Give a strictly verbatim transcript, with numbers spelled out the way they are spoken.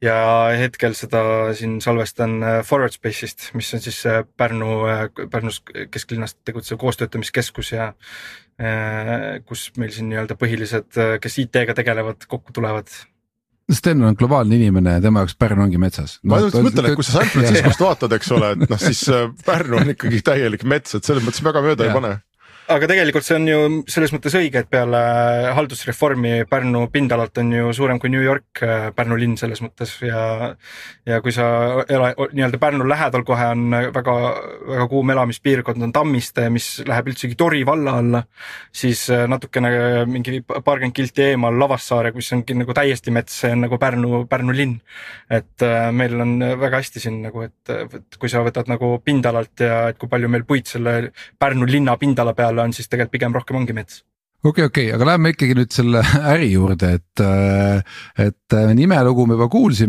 ja hetkel seda siin salvestan Forward Space'ist, mis on siis Pärnu, Pärnus kesklinnast tegutsev koostöötamiskeskus ja kus meil siin nii-öelda põhilised, kes I T-ga tegelevad, kokku tulevad. Sten on globaalne inimene ja tema jaoks Pärnu ongi metsas. Ma no, mõtlen, et kui sa San Franciscost vaatad, eks ole, et noh, siis Pärnu on ikkagi täielik mets, et selles mõttes väga mööda ja. Ei pane. Aga tegelikult see on ju selles mõttes õige, et peale haldusreformi Pärnu pindalalt on ju suurem kui New York, Pärnu linn selles mõttes ja, ja kui sa ela, nii-öelda Pärnu lähedal kohe on väga, väga kuum elamispiirkond on Tammiste, mis läheb üldsegi Tori valla alla, siis natukene mingi paarkümmend kilti eemal Lavassaare, kus ongi nagu täiesti mets, see on nagu Pärnu, Pärnu linn. Et meil on väga hästi siin nagu, et, et kui sa võtad nagu pindalalt ja et kui palju meil puid selle Pärnu linna pindala peale on, siis tegelikult pigem rohkem ongi mets. Okei, okei, aga läheme ikkagi nüüd selle äri juurde, et, et nimelugu me juba kuulsime.